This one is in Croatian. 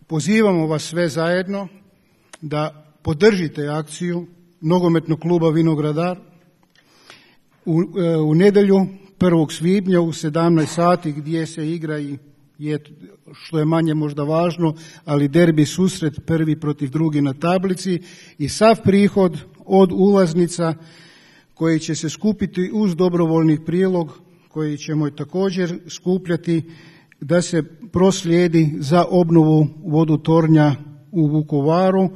Pozivamo vas sve zajedno da podržite akciju Nogometnog kluba Vinogradar u nedjelju 1. svibnja u 17 sati gdje se igra i što je manje možda važno, ali derbi susret prvi protiv drugi na tablici i sav prihod od ulaznica koji će se skupiti uz dobrovoljni prilog koji ćemo također skupljati da se proslijedi za obnovu vodotornja u Vukovaru